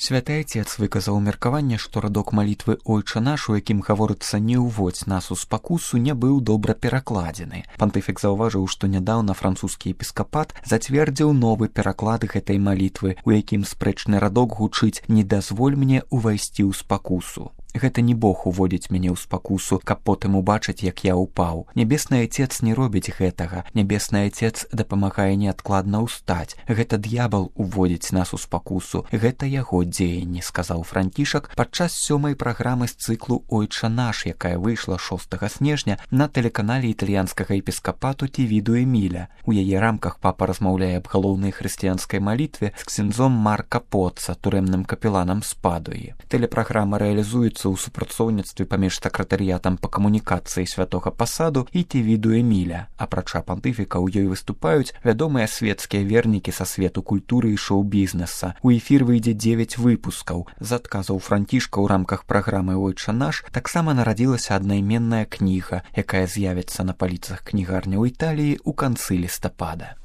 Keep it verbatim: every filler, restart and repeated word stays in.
Святы Отец выказаў меркаванне, што радок малітвы «Ойча наш», у якім гаворыцца «Не ўводзь нас у спакусу», не быў добра перакладзены. Пантыфік заўважыў, што нядаўна французскі епіскапат зацвердзіў новы пераклад гэтай малітвы, у якім спрэчны радок гучыць «Не дазволь мне увайсці ў спакусу». Гэта не Бог уводзіць мяне ў спакусу, каб потым убачыць, як я ўпаў. Нябесны Отец не робіць гэтага. Нябесны Отец дапамагае неадкладна ўстаць. Гэта д'ябал уводзіць нас у спакусу. Гэта яго дзеянні, сказаў Францішак падчас сёмай праграмы з цыклу «Ойча наш», якая выйшла шостага снежня на тэлеканале італьянскага епіскапату Тівіду Эміля. У яе рамках папа размаўляе аб галоўнай хрысціянскай малітве з ксяндзом Марка Поцца, турэмным капеланам з Падуі. Тэлепраграма рэалізуецца ў супрацоўніцтве паміж сакратарыятам па камунікацыі святога пасаду і Тівіду Эміля. Апрача пантыфіка, у ёй выступаюць вядомыя свецкія вернікі са свету культуры і шоу-бізнеса. У эфір выйдзе дзевяць выпускаў. З адказаў Францішка ў рамках праграмы «Ойча наш» таксама нарадзілася аднайменная кніга, якая з'явіцца на паліцах кнігарняў Італіі ў канцы лістапада.